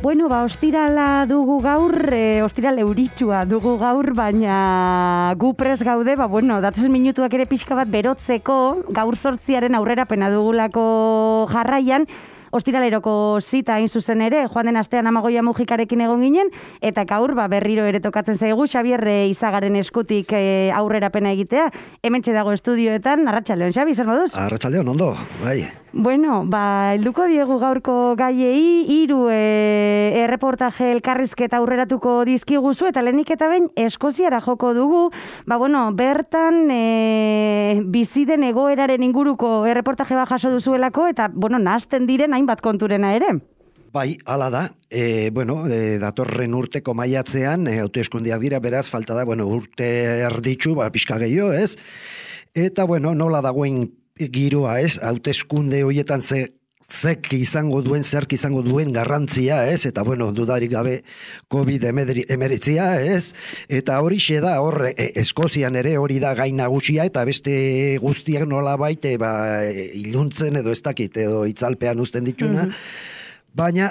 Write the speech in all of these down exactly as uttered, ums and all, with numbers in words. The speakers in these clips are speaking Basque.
Bueno, ba, ostirala dugu gaur, e, ostiral euritsua dugu gaur, baina gu pres gaude, ba, bueno, datozen minutuak ere pixka bat berotzeko, gaur zortziaren aurrerapena dugulako jarraian, ostiraleroko zita hain zuzen ere, joan den astean Amagoia Mujikarekin egon ginen, eta gaur ba, berriro ere tokatzen zaigu, Xabier Izagaren eskutik e, aurrerapena egitea, hementxe dago estudioetan, arratsaldeon, Xabi, zer moduz? Arratsaldeon, ondo, bai. Bueno, ba, helduko diegu gaurko gaiei, hiru e, erreportaje elkarrizketa aurreratuko dizkiguzu, eta lehenik eta behin Eskoziara joko dugu, ba, bueno, bertan e, bizi den egoeraren inguruko erreportaje bat jaso duzuelako, eta, bueno, nahazten diren hainbat konturena ere. Bai, hala da. E, bueno, e, datorren urteko maiatzean, e, hauteskundeak dira, beraz, falta da, bueno, urte erditzu, ba, pixka gehiago, ez? Eta, bueno, nola dagoen giroa, ez? Hauteskunde horietan ze zek izango duen, zerk izango duen garrantzia, ez? Eta, bueno, dudarik gabe COVID emeretzia, ez? Eta hori xe da, horre, e, Eskozian ere hori da gain nagusia, eta beste guztiak nola baite, ba, iluntzen edo ez dakit, edo itzalpean uzten dituna, mm-hmm. Baina,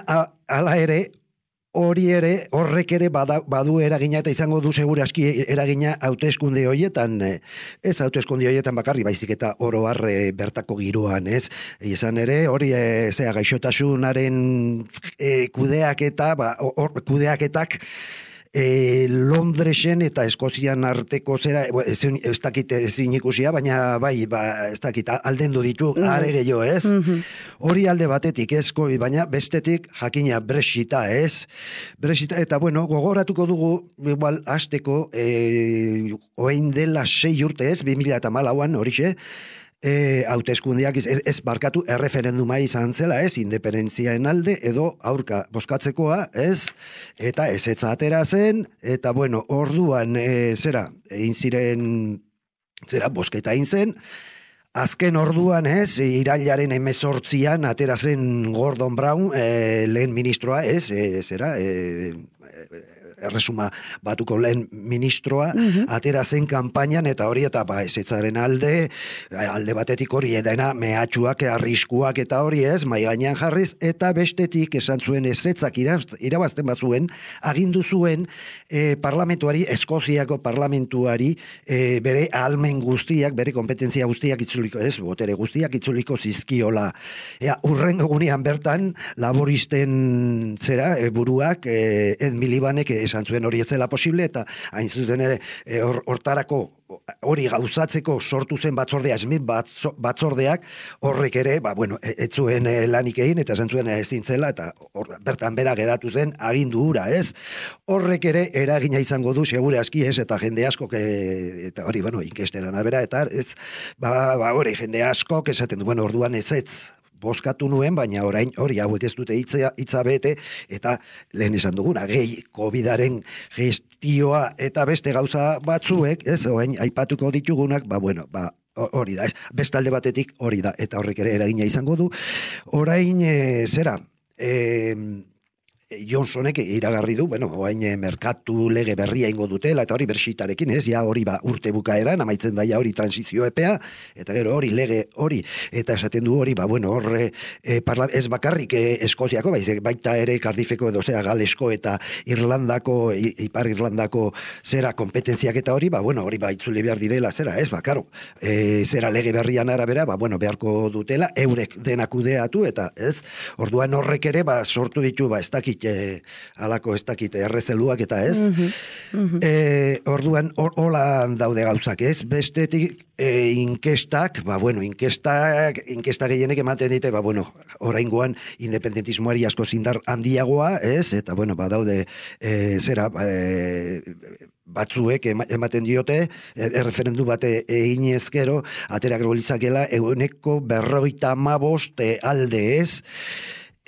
hala ere, hori ere, horrek ere bada, badu eragina eta izango du seguraski eragina hauteskunde horietan, ez hauteskunde horietan bakarri, baizik eta oro har bertako giroan, ez? Izan ere, hori e, zea gaixotasunaren e, kudeaketa, ba, or, kudeaketak, E, Londresen eta Eskozian arteko zera, ez, ez dakit ezin ikusia, baina bai, ba, ez dakit aldendu ditu, mm-hmm. are gehiago, ez? Mm-hmm. Hori alde batetik, ez, baina bestetik jakina Brexita, ez? Brexita, eta bueno, gogoratuko dugu, igual, hasteko, e, oein dela sei urte, ez, bi mila eta hamalauan, horixe, E, hauteskundeak ez, ez barkatu erreferenduma izan zela, ez, independentziaen alde edo aurka bozkatzekoa, ez, eta ez etza atera zen, eta bueno, orduan e, zera, egin ziren zera, bozketa egin zen, azken orduan, ez, irailaren hemezortzian atera zen Gordon Brown, e, lehen ministroa, ez, e, zera, e, e, erresuma batuko lehen ministroa, mm-hmm. atera zen kanpainan, eta hori, eta ba, ezetzaren alde, alde batetik hori edena mehatxuak, arriskuak, eta hori ez, mai gainean jarriz, eta bestetik esan zuen ezetzak irabazten bazuen, agindu zuen eh, parlamentuari, Eskoziako parlamentuari, eh, bere ahalmen guztiak, bere kompetentzia guztiak itzuliko, ez, botere guztiak itzuliko zizkiola. Ea, urren gunean bertan, laboristen zera, e, buruak, e, Ed Milibanek, esan zuen hori ez zela posible, eta hain zuzen ere hortarako hori gauzatzeko sortu zen batzordea, Smith batzordeak, horrek ere, ba, bueno, ez zuen lanik egin, eta esan zuen ezin zela, eta or, bertan bera geratu zen agindu hura, ez? Horrek ere eragina izango du, segure aski, ez, eta jende asko, eta hori, bueno, inkesteran abera, eta ez, ba, ba, hori, jende asko, esaten du, bueno, orduan ez ez, bozkatu nuen, baina orain hori hauek ez dute hitza, hitza bete, eta lehen esan duguna, gehi COVIDaren gestioa eta beste gauza batzuek, ez, orain aipatuko ditugunak, ba, bueno, ba, hori da, ez, bestalde batetik hori da, eta horrek ere eragina izango du. Orain, e, zera, e, Johnsonek iragarri du, bueno, oain merkatu lege berria ingo dutela, eta hori Brexitarekin, ez, ja hori ba urte bukaeran, amaitzen daia hori transizio epea, eta gero hori lege hori, eta esaten du hori, ba, bueno, horre, e, parla, ez bakarrik e, Eskoziako, baiz, baita ere Cardiffeko edo zera Galesko eta Irlandako, Ipar Irlandako zera kompetentziak eta hori, ba, bueno, hori ba itzuli behar direla, zera, ez, ba, karo, e, zera lege berrian arabera, ba, bueno, beharko dutela, eurek denak kudeatu, eta ez, orduan horrek ere, ba, sortu ditu, ba, ez dakit, E, alako ez dakit errezeluak eta ez. Mm-hmm. Mm-hmm. E, orduan, hola or, daude gauzak ez. Bestetik e, inkestak, ba bueno, inkestak, inkesta gehienek ematen dite, ba bueno, oraingoan independentismoari asko zindar handiagoa, ez? Eta bueno, ba daude e, zera, e, batzuek ematen diote, erreferendu bate egin ezkero, aterak rolizakela, eguneko berroita hamabost alde ez.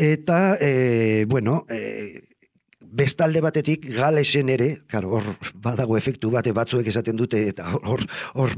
Eta, e, bueno, e, bestalde batetik Galesen ere, claro, hor badago efektu bate batzuek esaten dute, eta hor hor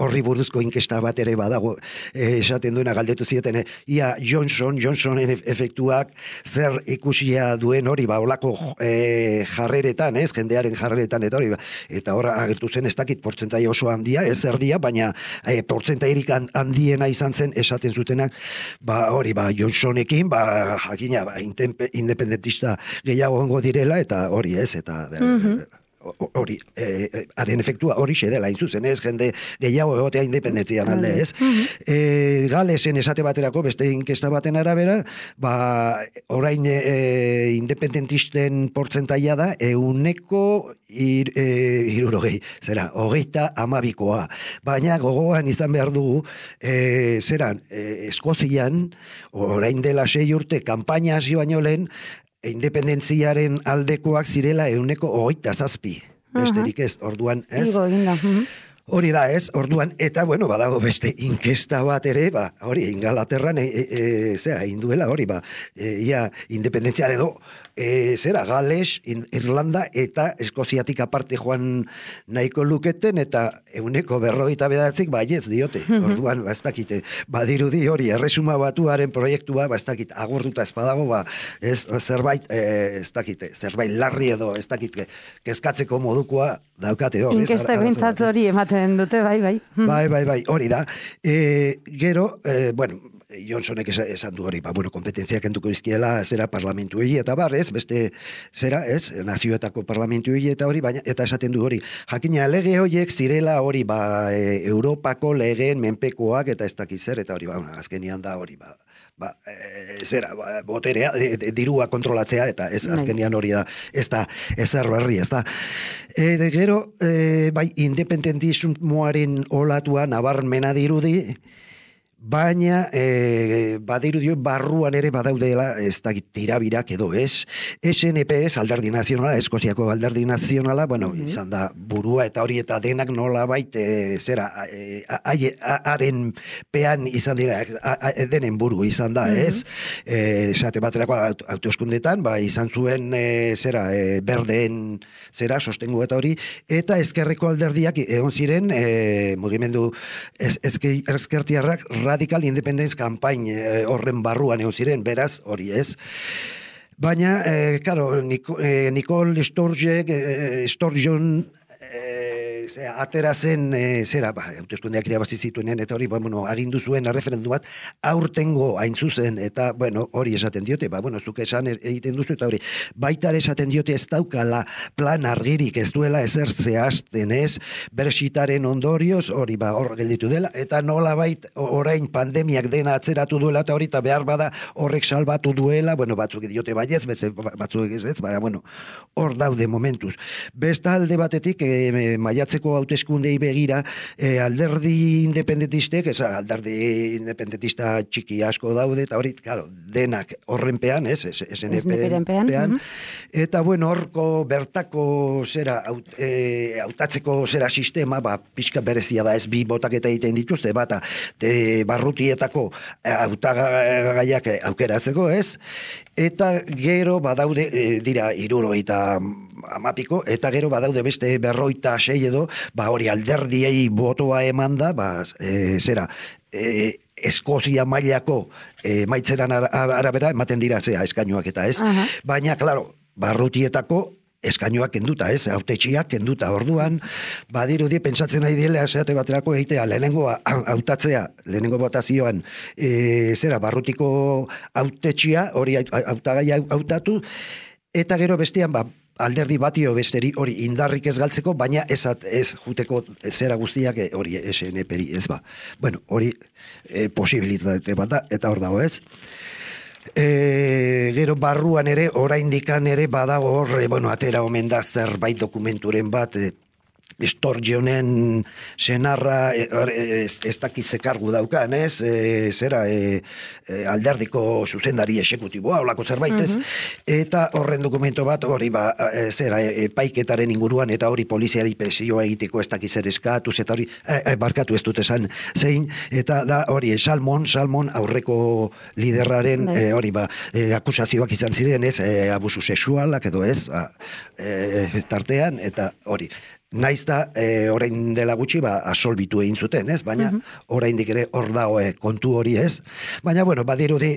horri buruzko inkesta bat ere badago eh, esaten duena galdetu zieten, eh, ia Johnson, Johnsonen efektuak zer ikusia duen hori, ba, olako eh, jarreretan, ez, jendearen jarreretan, eta hori, ba, eta hor agertu zen ez dakit portzentai oso handia, ez erdia, baina eh, portzentairik handiena izan zen esaten zutenak, ba, hori, ba, Johnsonekin, ba, jakina, ba, independentista gehiago ongo direla, eta hori ez, eta hori, eh, haren efektua hori xedela, inzuzen ez, jende gehiago egotea independentzian alde ez. eh, Galesen esate baterako, beste inkesta baten arabera, ba, orain eh, independentisten portzentaia da, euneko ir, eh, irurogei, zera, hogeita amabikoa. Baina gogoan izan behar dugu, eh, zeran, eh, Eskozian, orain dela sei urte, kanpaina hasi baino lehen, independentziaren aldekoak zirela euneko hogeita zazpi. Besterik ez, orduan, ez? Igo eginda. Hori da, ez? Orduan, eta, bueno, badago beste inkesta bat ere, ba, hori, Ingalaterran, e, e, e, zera, induela, hori, ba, e, ia, independentzia edo, e, zera, Gales, Irlanda, eta Eskoziatik aparte joan nahiko luketen, eta euneko berrogeita bedatzik, ba, ez diote. Orduan, ba, ez dakite, badirudi hori, erresuma batuaren proiektua, ba, ez dakit, agurtuta ez badago, ba, ez, zerbait, e, ez dakite, zerbait larri edo, ez dakit, kezkatzeko modukoa daukate hori. Inkesta bintzat hori ematen dute, bai, bai. Bai, bai, bai, hori da. E, gero, e, bueno, Johnsonek esan du hori, ba, bueno, kompetentziak entuko izkiela, zera parlamentu egi, eta bar, ez, beste, zera, ez, nazioetako parlamentu egi, eta hori, baina, eta esaten du hori. Jakina, lege horiek zirela hori, ba, e, Europako legeen menpekoak, eta ez dakiz zer, eta hori, ba, azkenian da hori, ba, ba, e, zera, ba, boterea, e, e, dirua kontrolatzea, eta ez azkenian hori da, ez da, ez berri, ez da. E, de, gero, e, bai, independentismoaren olatua nabarmena dirudi, baina e, badirudio barruan ere badaudela ez da tirabirak edo ez. S N P ez alderdi nazionala, Eskoziako alderdi nazionala, bueno, mm-hmm. izan da burua eta hori eta denak nola bait, e, zera, haren e, pean izan dira, a, a, denen buru izan da, mm-hmm. ez? E, esate baterako autoeskundetan, ba, izan zuen, e, zera, e, berdeen, zera, sostengu eta hori, eta ezkerreko alderdiak egon ziren, e, mugimendu ez, ezke, ezkertiarrak Radical Independence Campaign eh, horren barruan egon ziren, beraz, hori ez. Baina, eh, claro, Nico, eh, Nicole Sturgeon, eh, Sturgeon eh, zera, atera zen, eh, zera, ba, hauteskundeak irabazi zituenen, eta hori, bueno, agindu zuen erreferendu bat, aurtengo hain zuzen, eta, bueno, hori esaten diote, ba, bueno, zuke esan egiten duzu, eta hori, baita esaten diote ez daukala plan argirik, ez duela ezer zehazten ez, Brexitaren ondorioz, hori, ba, hor gelditu dela, eta nola bait, orain pandemiak dena atzeratu duela, eta hori, eta behar bada horrek salbatu duela, bueno, batzuk diote baiez, batzuk ez ez, baina, bueno, hor daude momentuz. Besta alde batetik, e, maiatzeko hauteskundei begira, e, alderdi independentistek, ez, alderdi independentista txiki asko daude, eta hori, claro, denak horrenpean, ez, S N P-pean, uh-huh. Eta, bueno, horko bertako zera, aut, e, hautatzeko zera sistema, ba, pixka berezia da, ez bi botaketa egiten dituzte, bata, de barrutietako hautagaiak aukeratzeko, ez, eta gero badaude, e, dira, hirurogeita amapiko, eta gero badaude beste berroita sei edo, ba hori alderdiei botoa eman da, ba, e, zera, e, Eskozia mailako e, maitzeran arabera ematen dira zea eskainoak eta ez, uh-huh. Baina, klaro, barrutietako eskainoak kenduta, ez, hautetxiak kenduta, orduan, badirudi, pentsatzen nahi dile, esate baterako egitea, lehenengo hautatzea, lehenengo botazioan, e, zera, barrutiko hautetxia, hori hautagaia hautatu, eta gero bestean, ba, alderdi batio besteri hori indarrik ez galtzeko, baina ez, ez juteko zera guztiak hori S N P-ri, ez ba. Bueno, hori e, posibilitate bat da, eta hor dago ez. E, gero barruan ere, oraindikan ere badago hor, e, bueno, atera omen da zerbait dokumenturen bat, e, Estorgionen senarra ez, ez dakize kargu daukan, ez? E, zera, e, e, alderdiko zuzendari esekutiboa, olako zerbait, ez? Eta horren dokumento bat, hori, ba, e, zera, e, paiketaren inguruan, eta hori poliziari presioa egiteko ez dakiz ere eskatuz, eta hori, e, e, barkatu ez dut esan zein, eta da hori, e, Salmon, Salmon aurreko liderraren, e, hori, ba, e, akusazioak izan ziren, ez? E, abusu sexualak edo ez, ba, e, tartean, eta hori. Naiz da, e, orain dela gutxi, ba, asolbitu egin zuten, ez? Baina, oraindik ere hor dago e, kontu hori, ez? Baina, bueno, badirudi,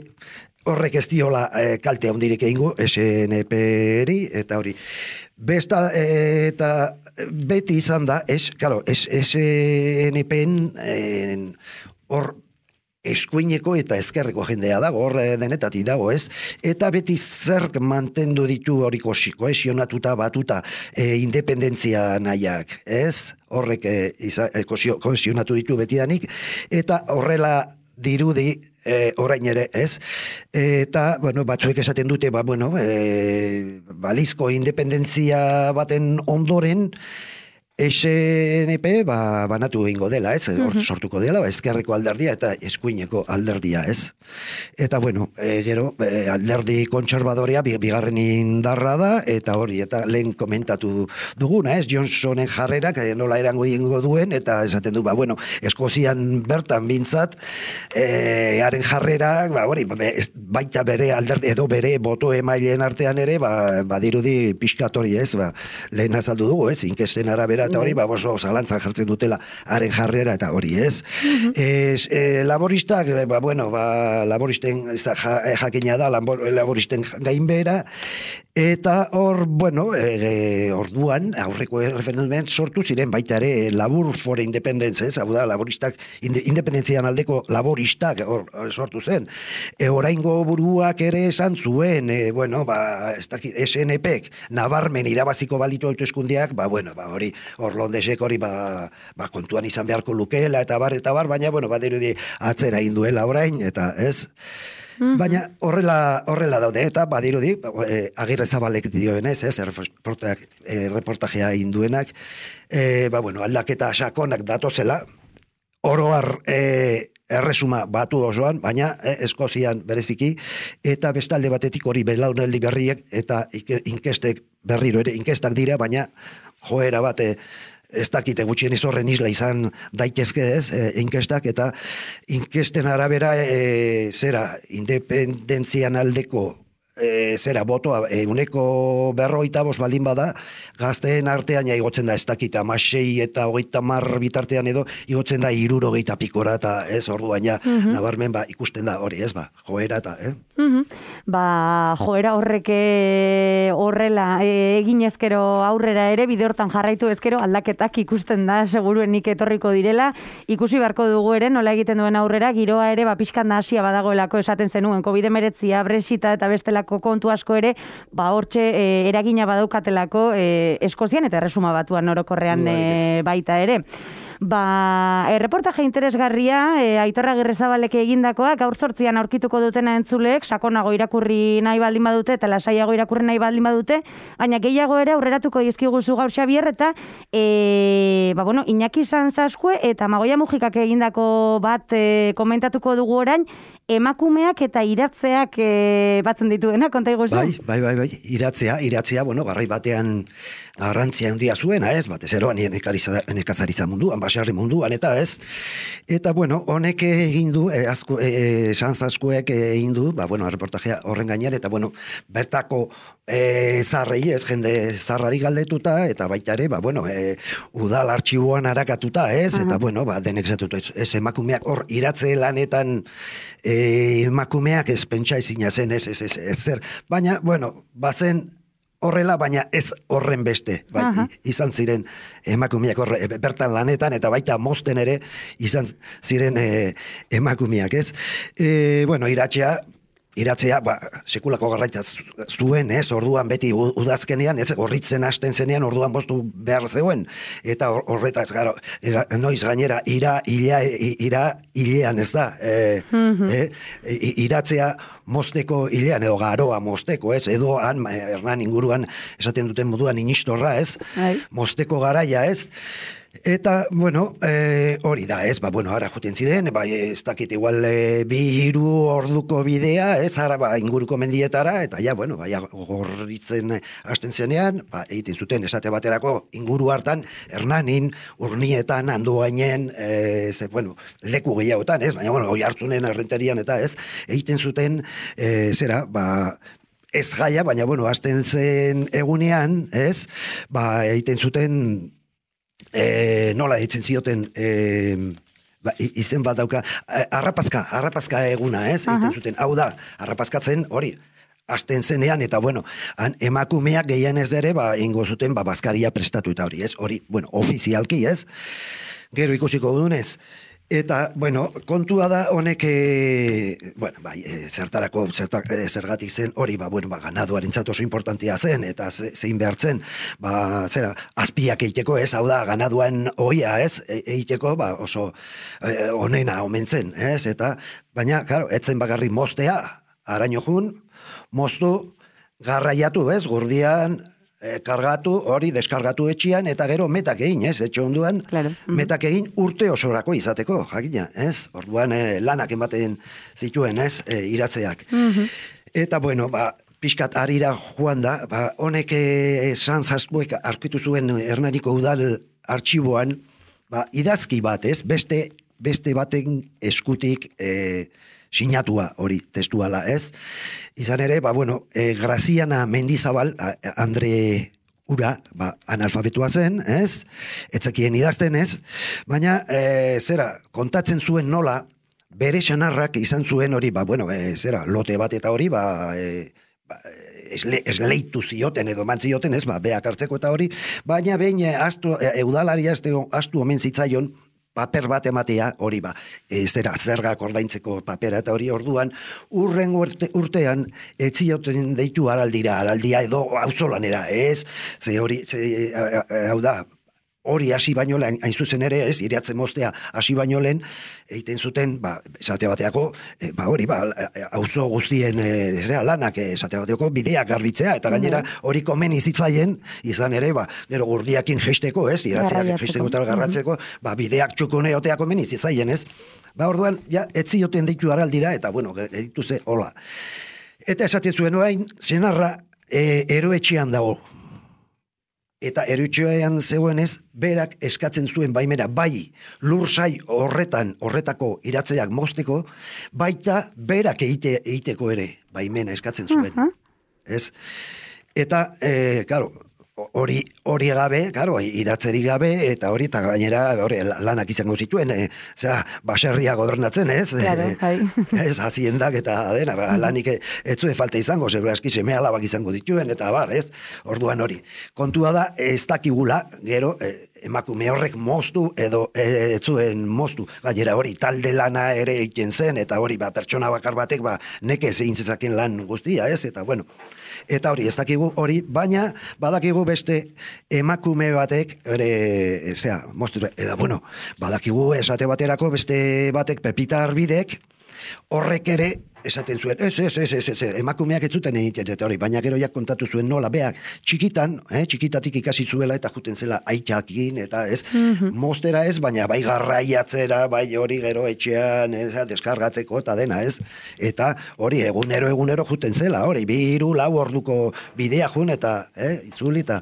horrek ez diola e, kalte handirik egingo, S N P-eri, eta hori. Besta, e, eta beti izan da, ez, claro, S N P-en hor, eskuineko eta ezkerreko jendea dago, hor denetatik dago, ez? Eta beti zerk mantendu ditu hori kohesionatuta batuta e, independentzia nahiak, ez? Horrek e, iza, e, kohesionatu ditu betidanik, eta horrela dirudi e, orain ere, ez? Eta, bueno, batzuek esaten dute, ba, bueno, e, balizko independentzia baten ondoren, S N P ba, banatu egingo dela, ez? Hor sortuko dela, ezkerreko alderdia eta eskuineko alderdia, ez? Eta, bueno, e, gero, e, alderdi kontserbadorea bigarren indarra da, eta hori, eta lehen komentatu duguna, ez? Johnsonen jarrerak e, nola erango egingo duen, eta esaten du, ba, bueno, Eskozian bertan bintzat, e, haren jarrerak, ba, hori, baita bere alderdi, edo bere boto emaileen artean ere, ba, badirudi pixkatori, ez? Ba, lehen azaldu dugu, ez? Inkesten arabera, eta hori, ba, oso zalantzan jartzen dutela haren jarrera, eta hori, ez? Uh-huh. Ez, e, laboristak, ba, bueno, ba, laboristen jakina da, laboristen gainbera, eta hor, bueno, e, orduan, aurreko referendumen sortu ziren baita ere labur for independence, ez? Hau da, laboristak, independentzian aldeko laboristak hor, sortu zen. E, oraingo buruak ere esan zuen, e, bueno, ba, ez dakit, S N P-ek nabarmen irabaziko balitu hauteskundeak, ba, bueno, ba, hori, hor Londesek hori ba, ba, kontuan izan beharko lukeela eta bar, eta bar, baina, bueno, badirudi atzera egin duela orain, eta ez? Mm-hmm. Baina horrela, horrela daude, eta badirudi, e, Agirre Zabalek dioenez, ez, e, reportajea egin duenak, e, ba, bueno, aldaketa sakonak datozela, oroar e, erresuma batu osoan, baina e, Eskozian bereziki, eta bestalde batetik hori belaunaldi berriek, eta inkestek berriro ere, inkestak dira, baina joera bate ez dakite gutxien izorren isla izan daitezke ez, e, inkestak, eta inkesten arabera e, zera, independentzian aldeko e, zera, botoa, e, uneko berroita bos balin bada, gazteen artean ja igotzen da ez dakita, amasei eta hogeita mar bitartean edo, igotzen da iruro geita pikora, eta ez orduan ja, mm-hmm. nabarmen ba, ikusten da hori, ez ba, joera eta, eh? Mm-hmm. Ba, joera horreke horrela e, egin ezkero aurrera ere, bide hortan jarraitu ezkero aldaketak ikusten da, seguruenik etorriko direla, ikusi beharko dugu ere, nola egiten duen aurrera, giroa ere, ba, pixkan da hasia badagoelako esaten zenuen, covid hemeretzia, Brexita eta bestelako kontu asko ere, ba, hortxe e, eragina badaukatelako e, Eskozian eta Erresuma Batuan orokorrean e, baita ere. Ba, e, reportaje interesgarria, e, Aitor Agirrezabalek egindakoa, gaur zortzian aurkituko dutena entzuleek, sakonago irakurri nahi baldin badute, eta lasaiago irakurri nahi baldin badute, baina gehiago ere aurreratuko dizkiguzu gaur Xabier, eta e, ba, bueno, Iñaki Sanzazkue eta Magoia Mujikak egindako bat e, komentatuko dugu orain, emakumeak eta iratzeak e, batzen dituena, konta iguzu? Bai, bai, bai, bai, iratzea, iratzea, bueno, garai batean garrantzia handia zuena, ez, batez eroan nekazaritza munduan, basarri munduan, eta ez, eta, bueno, honek egin du, e, azku, e, Sanzazkuek egin du, ba, bueno, reportajea horren gainean, eta, bueno, bertako e, zarrei, ez, jende zarrari galdetuta, eta baita ere, ba, bueno, e, udal artxiboan harakatuta, ez, uh-huh. eta, bueno, ba, denek zatutu, ez, ez emakumeak hor iratze lanetan e, emakumeak ez pentsa ezina zen, ez, ez, ez, ez zer, baina, bueno, bazen horrela, baina ez horren beste, bai, uh-huh. izan ziren emakumeak horre, bertan lanetan, eta baita mozten ere izan ziren e, emakumeak, ez? E, bueno, iratxea, iratzea, ba, sekulako garraitza zuen, ez, orduan beti udazkenean, ez, gorritzen hasten zenean, orduan bostu behar zegoen, eta horretaz, garo, noiz gainera, ira, ila, ira, hilean, ez da, e, mm-hmm. e, iratzea mosteko hilean, edo garoa mosteko, ez, edo han, Hernan inguruan, esaten duten moduan, inistorra, ez, Ai. mosteko garaia, ez, eta, bueno, e, hori da, ez, ba, bueno, ara juten ziren, ba, ez dakit igual e, bi hiru orduko bidea, ez, ara, ba, inguruko mendietara, eta ja, bueno, ba, ja, gorritzen hasten zenean, ba, egiten zuten esate baterako inguru hartan, Hernanin, Urnietan, Andoainen, e, ze, bueno, leku gehiagotan, ez, baina, bueno, oi hartzunen errenterian, eta ez, egiten zuten, e, zera, ba, ez gaia, baina, bueno, hasten zen egunean, ez, ba, egiten zuten, E, nola ditzen zioten e, ba, izen bat dauka arrapazka, arrapazka eguna, ez? Egiten zuten, hau da, arrapazkatzen hori hasten zenean, eta bueno, han, emakumeak gehien ez ere, ba, ingo zuten, ba, bazkaria prestatu eta hori, ez? Hori, bueno, ofizialki, ez? Gero ikusiko dunez. Eta, bueno, kontua da honek, e, bueno, bai, e, zertarako, zertar, e, zergatik zen, hori, ba, bueno, ba, ganaduaren oso importantia zen, eta ze, zein behartzen, ba, zera, azpiak eiteko, ez, hau da, ganaduan oia, ez, e, eiteko, ba, oso e, onena omentzen, ez, eta, baina, claro, etzen bagarri mostea, araño jun, moztu, garraiatu, ez, gurdian, E, kargatu, hori, deskargatu etxian, eta gero metak egin, ez, etxe onduan, claro. mm-hmm. metak egin urte osorako izateko, jakina, ez, orduan e, lanak ematen zituen, ez, e, iratzeak. Mm-hmm. Eta, bueno, ba, pixkat harira joan da, ba, honek esan zaztuek arkitu zuen Hernaniko udal artxiboan, ba, idazki bat, ez, beste, beste baten eskutik, e, sinatua hori testuala, ez? Izan ere, ba, bueno, e, Graziana Mendizabal, a, Andre Ura, ba, analfabetua zen, ez? Etzekien idazten, ez? Baina, e, zera, kontatzen zuen nola, bere sanarrak izan zuen hori, ba, bueno, e, zera, lote bat eta hori, ba, e, ba esle, esleitu zioten edo mantzioten, ez? Ba, beak hartzeko eta hori, baina behin e, astu, e, eudalaria astu omen zitzaion, paper bat ematea, hori ba, e, zera, zergak ordaintzeko papera, eta hori orduan, urren urte, urtean, etzioten deitu araldira, araldia edo auzolanera, ez? Ze hori, ze, hau da, hori hasi baino lehen, hain zuzen ere, ez, iratzen moztea hasi baino lehen, egiten zuten, ba, esate bateako, e, ba, hori, ba, auzo guztien, e, zera, lanak, e, esate bateako, bideak garbitzea, eta gainera, hori komen izitzaien, izan ere, ba, gero gurdiakin gesteko, ez, iratzeak gesteko eta garratzeko, ba, bideak txukune otea komen izitzaien, ez, ba, orduan, ja, etzioten deitu araldira, eta, bueno, editu ze, hola. Eta esaten zuen orain, senarra, e, eroetxean dago, eta erutxoean zegoenez, berak eskatzen zuen baimera, bai lursai horretan, horretako iratzeak mozteko, baita berak egite, egiteko ere baimena eskatzen zuen. Uh-huh. Ez? Eta, e, claro, hori hori gabe, claro, iratzeri gabe, eta hori, eta gainera, hori, lanak izango zituen, e, zera, baserria gobernatzen, ez? Claro, e, ez, haziendak eta dena, ba, lanik ez zuen falta izango, zebra eski seme alabak izango dituen, eta bar, ez? Orduan hori. Kontua da, ez dakigula, gero, e, emakume horrek moztu, edo e, ez zuen moztu. Gainera hori, talde lana ere egiten zen, eta hori, ba, pertsona bakar batek, ba, nekez egin zezaken lan guztia, ez? Eta, bueno, eta hori, ez dakigu hori, baina badakigu beste emakume batek, ere, zera, moztu, eta bueno, badakigu esate baterako beste batek Pepita Arbidek, horrek ere, esaten zuen, ez, ez, ez, ez, ez, emakumeak ez zuten egiten, eta hori, baina gero jak kontatu zuen nola, beak, txikitan, eh, txikitatik ikasi zuela, eta juten zela aitzakin, eta ez, mm-hmm. mostera ez, baina bai garraiatzera, bai hori gero etxean, ez, deskargatzeko, eta dena, ez, eta hori, egunero, egunero juten zela, hori, biru, lau orduko bidea jun, eta, eh, itzuli, eta,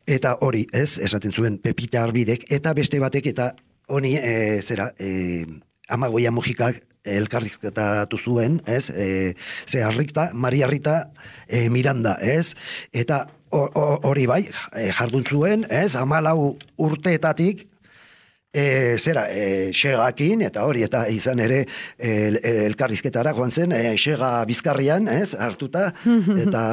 eta hori, ez, esaten zuen Pepita Arbidek, eta beste batek, eta honi, e, zera, e, Amagoia Mujikak elkarrizketatu zuen, ez, e, ze Rita, Maria Rita e, Miranda, ez, eta hori bai, e, jardun zuen, ez, hamalau urteetatik, e, zera, e, segakin, eta hori, eta izan ere e, elkarrizketara joan zen, e, sega bizkarrian, ez, hartuta, eta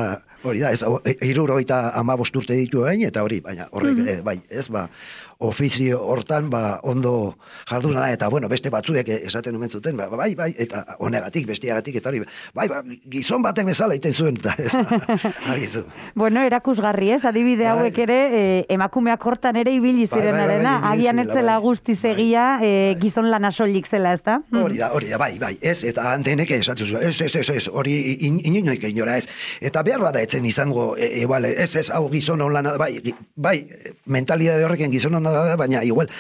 hori da, ez, iruro eta amabost urte ditu hain, eta hori, baina horrek, e, bai, ez, ba, ofizio hortan, ba, ondo jarduna da, eta, bueno, beste batzuek esaten omen zuten, ba, bai, bai, eta honegatik, bestiagatik, eta hori, bai, ba, gizon batek bezala iten zuen, eta ez, agizu. Bueno, erakusgarri, ez, adibide bai. hauek ere, e, emakumeak hortan ere ibili zirenarena, bai, bai, bai, agian etzela bai, guztiz egia, bai, e, gizon lan asolik zela, ez da? Hori da, hori da, bai, bai, ez, eta denek esatu zuen, ez, ez, ez, ez, hori inoik inora ez, eta behar bada etzen izango, e, igual, ez, ez, hau gizon hon lana, bai, bai, mentalidade horrekin gizon hon da, baina, igual,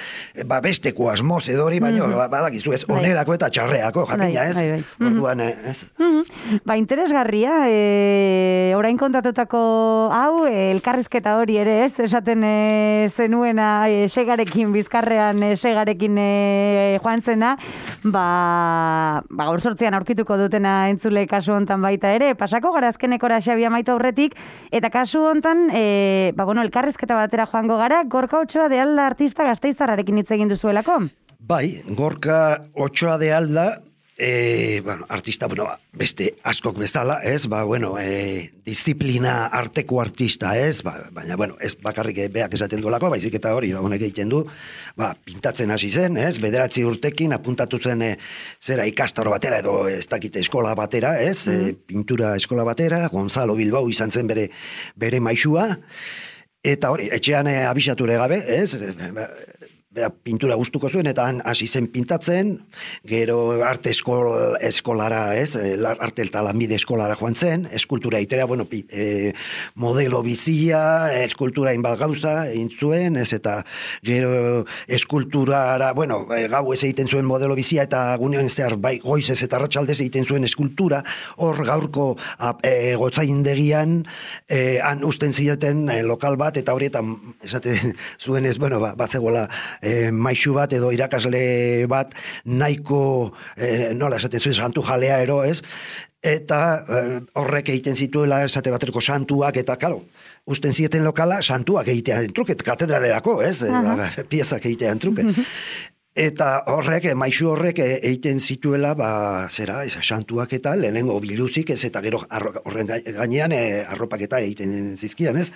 ba, besteko asmoz edo hori, baina, mm -hmm. badakizu ez, onerako eta txarreako, jakina ez, bai, bai, bai. Orduan, ez. Mm -hmm. Ba, interesgarria, e, orain kontatutako hau, e, elkarrizketa hori ere, ez, esaten e, zenuena, e, segarekin, bizkarrean, e, segarekin e, joan zena, ba, ba, gaur sortzean aurkituko dutena entzule kasu hontan baita ere, pasako gara azkenekora Xabi amaitu aurretik, eta kasu hontan, e, ba, bueno, elkarrizketa batera joango gara, Gorka Otxoa de Alda artista Gasteiztarrarekin hitz egin duzuelako? Bai, Gorka Otxoa de Alda, e, bueno, artista, bueno, beste askok bezala, ez, ba, bueno, e, disiplina arteko artista, ez, ba, baina, bueno, ez bakarrik beak esaten duelako, baizik eta hori, honek egiten du, ba, pintatzen hasi zen, ez, bederatzi urtekin apuntatu zen, e, zera ikastaro batera, edo ez dakite eskola batera, ez, mm. e, pintura eskola batera, Gonzalo Bilbao izan zen bere, bere maixua, eta hori, etxean e, abisature gabe, ez, e, Bera, pintura gustuko zuen, eta han hasi zen pintatzen, gero arte eskol, eskolara, ez, arte eta lanbide eskolara joan zen, eskultura itera, bueno, pi, e, modelo bizia, eskultura inbat gauza, egin zuen, ez, eta gero eskulturara, bueno, gau ez egiten zuen modelo bizia, eta gunean zehar, bai, goizez eta ratxaldez egiten zuen eskultura, hor gaurko e, gotzaindegian, e, han usten zieten e, lokal bat, eta horietan, esate zuen ez, bueno, ba, bazegoela, E, maixu bat edo irakasle bat nahiko, e, nola esaten zuen, santu jalea ero, ez? Eta e, horrek egiten zituela esate baterako santuak, eta, karo, usten zieten lokala santuak egitean truket, katedralerako, ez? E, piezak egitean truket. Eta horrek, maixu horrek egiten zituela, ba, zera, ez, santuak eta lehenengo biluzik, ez, eta gero arro, horren gainean e, arropak eta egiten zizkian, ez?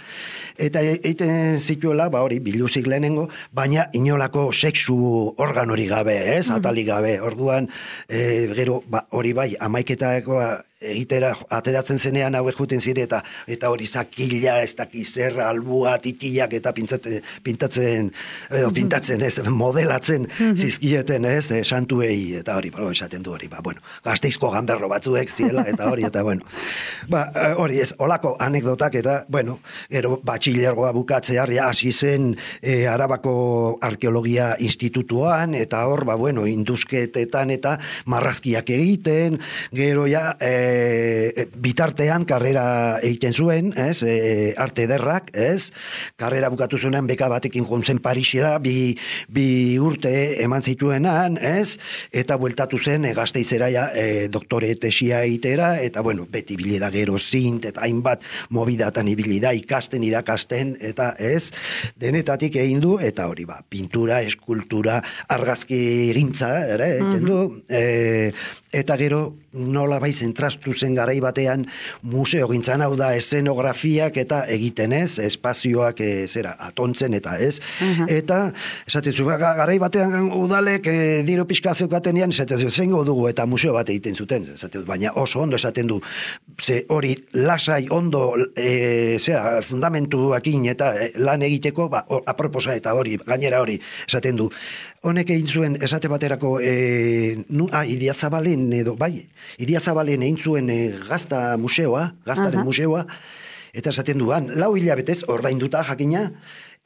Eta egiten zituela, ba, hori, biluzik lehenengo, baina inolako sexu organori gabe, ez, atalik gabe, orduan, e, gero, ba, hori bai, amaiketakoa egitera ateratzen zenean hauek juten zire, eta eta hori zakila, ez dakizer, albua, titiak, eta pintzate, pintatzen, edo pintatzen, ez, modelatzen zizkieten, ez, e, santuei, eta hori, bro, esaten du hori, ba, bueno, Gasteizko ganberro batzuek ziela, eta hori, eta bueno, ba, hori ez, olako anekdotak, eta, bueno, gero, batxilergoa bukatzear, ja, hasi zen e, Arabako Arkeologia Institutuan, eta hor, ba, bueno, indusketetan, eta marrazkiak egiten, gero, ja, e, E, bitartean karrera egiten zuen, ez, e, arte ederrak, ez, karrera bukatu zuenan beka batekin jontzen Parisera, bi, bi urte eman zituenan, ez, eta bueltatu zen e, Gasteizera ja, e, doktore tesia egitera, eta bueno, beti bilida gero zint, eta hainbat mobidatan ibilida, ikasten, irakasten, eta ez, denetatik egin du, eta hori ba, pintura, eskultura, argazki gintza, ere, egiten du, e, eta gero nola bai zentrastu zen garai batean museo gintzan, hau da eszenografiak eta egiten, ez, espazioak e, zera, atontzen eta ez, uh-huh. eta esaten zu, garai batean udalek e, diru pixka zeukatenean, esaten zu, zengo dugu eta museo bat egiten zuten, esaten du, baina oso ondo esaten du, ze hori lasai ondo e, zera, fundamentuakin eta e, lan egiteko, ba, or, aproposa eta hori, gainera hori, esaten du, honek egin zuen, esate baterako, e, nu, ah, Idiazabalen edo, bai, Idiazabalen egin zuen e, gazta museoa, gaztaren uh-huh. museoa, eta esaten duan, lau hilabetez, ordainduta jakina,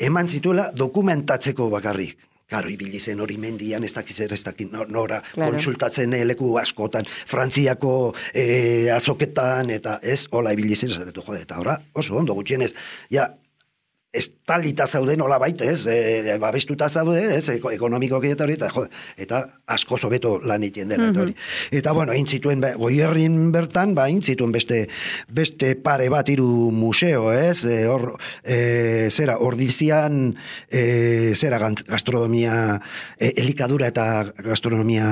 eman zituela dokumentatzeko bakarrik. Karo, ibili zen hori mendian, ez dakiz ez dakiz nora, claro. Konsultatzen leku askotan, Frantziako e, azoketan, eta ez, hola ibili zen, esatetu, jode, eta ora, oso ondo gutxienez, ja, estalita zaude nola baita, ez, e, babestuta zaude, ez, ekonomikoki eta hori, eta, jo, eta asko zobeto lan egiten dela, eta hori. Eta, bueno, egin zituen, Goierrin bertan, ba, egin zituen beste, beste pare bat hiru museo, ez, e, hor, e, zera, ordizian, e, zera, gastronomia, e, elikadura eta gastronomia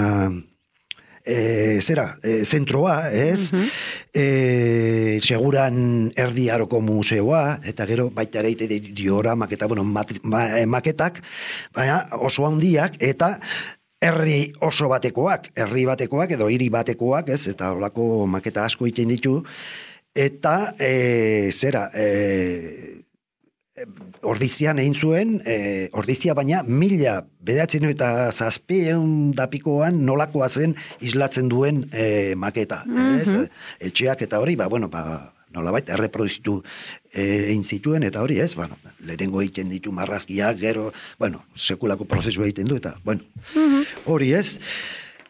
e, zera, e, zentroa, ez? Mm-hmm. E, seguran erdi aroko museoa, eta gero baita ere dioramak eta, bueno, mat, ma, maketak, baina oso handiak, eta herri oso batekoak, herri batekoak edo hiri batekoak, ez? Eta holako maketa asko egiten ditu, eta e, zera, e, ordizian egin zuen, e, ordizia baina mila bedatzen eta zazpieun dapikoan nolakoa zen islatzen duen e, maketa. Mm-hmm. Ez? Etxeak eta hori, ba, bueno, ba, nolabait, erreproduzitu egin zituen, eta hori, ez? Bueno, lehenengo egiten ditu marrazkiak, gero, bueno, sekulako prozesu egiten du, eta, bueno, mm-hmm. hori, ez?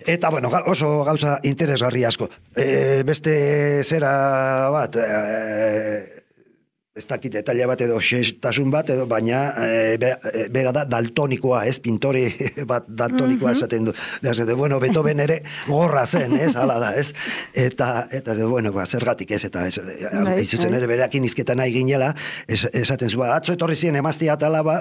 Eta, bueno, oso gauza interesgarri asko. E, beste zera bat, e, ez dakit detaila bat edo xestasun bat, edo, baina e, bera, bera da daltonikoa, ez, pintori bat daltonikoa mm-hmm. esaten du. Esaten, bueno, Beethoven ere gorra zen, ez, hala da, ez. Eta, eta bueno, ba, zergatik ez, eta ez, izutzen ere bereakin izketan nahi ginela, es, esaten zu, ba, atzo etorri ziren emaztia atala, ba,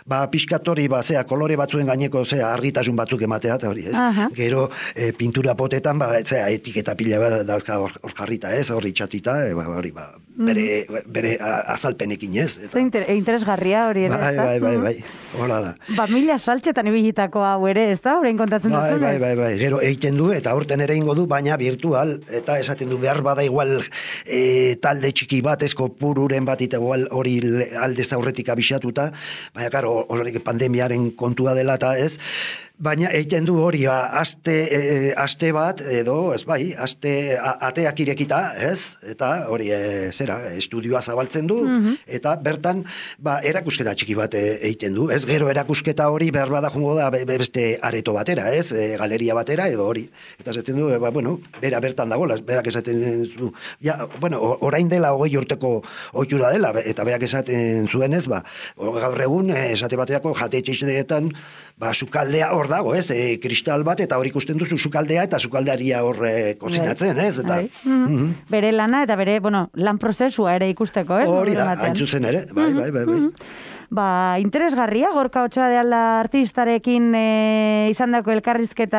ba pixkatori, ba, zea, kolore batzuen gaineko, zea, argitasun batzuk ematea, eta hori, ez. Uh-huh. Gero, e, pintura potetan, ba, zea, etiketa pila bat dauzka hor, hor jarrita, ez, hori txatita, e, ba, hori, ba, bere, bere azalpenekin, ez? Eta... Inter, interesgarria hori ere, bai, bai, bai, bai, hola da. Ba, mila saltxetan ibilitako hau ere, ez da? Horein kontatzen bai, duzunez? Bai, bai, bai, gero egiten du, eta aurten ere ingo du, baina virtual, eta esaten du behar bada igual e, talde txiki bat, esko pururen bat, eta igual hori aldez aurretik abixatuta, baina, karo, hori pandemiaren kontua dela, eta ez, baina egiten du hori, ba, aste, e, aste bat, edo, ez bai, aste a, ateak irekita, ez? Eta hori, e, zera, estudioa zabaltzen du, mm-hmm. eta bertan, ba, erakusketa txiki bat egiten du, ez? Gero erakusketa hori behar bada jungo da beste areto batera, ez? E, galeria batera, edo hori. Eta esaten du, ba, bueno, bera bertan dagoela, berak esaten du, ja, bueno, orain dela hogei urteko ohitura dela, eta berak esaten zuen, ez, ba, gaur egun, esate baterako jate etxeetan, ba, sukaldea hor dago, ez, e, kristal bat, eta hor ikusten duzu sukaldea, eta sukaldaria hor e, kozinatzen, ez, eta... Mm-hmm. Mm-hmm. Bere lana, eta bere, bueno, lan prozesua ere ikusteko, ez? Hori da, hain zuzen ere, bai, bai, bai, bai. Mm-hmm. Ba, interesgarria, Gorka Otxoa de Alda artistarekin e, izandako elkarrizketa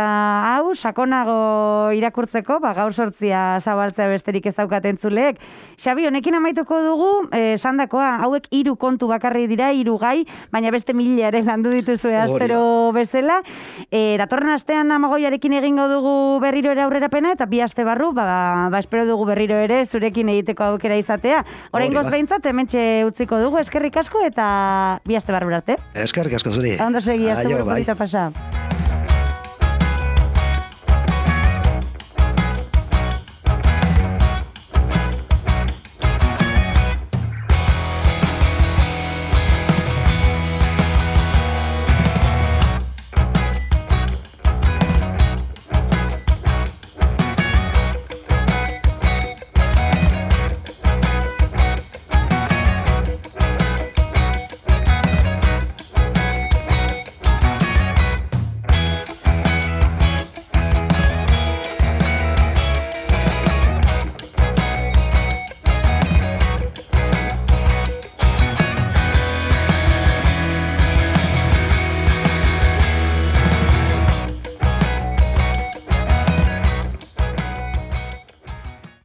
hau, sakonago irakurtzeko, ba, gaur sortzia zabaltzea besterik ez daukaten zuleek. Xabi, honekin amaituko dugu, e, sandakoa, hauek hiru kontu bakarri dira, hiru gai, baina beste mila ere landu dituzue astero bezala. E, datorren astean Amagoiarekin egingo dugu berriro ere aurrerapena, eta bi aste barru, ba, ba espero dugu berriro ere zurekin egiteko aukera izatea. Oraingoz behintzat, hementxe utziko dugu, eskerrik asko, eta bi aste barru arte. Eskerrik asko zuri. Ondo segi, aste barru pasa.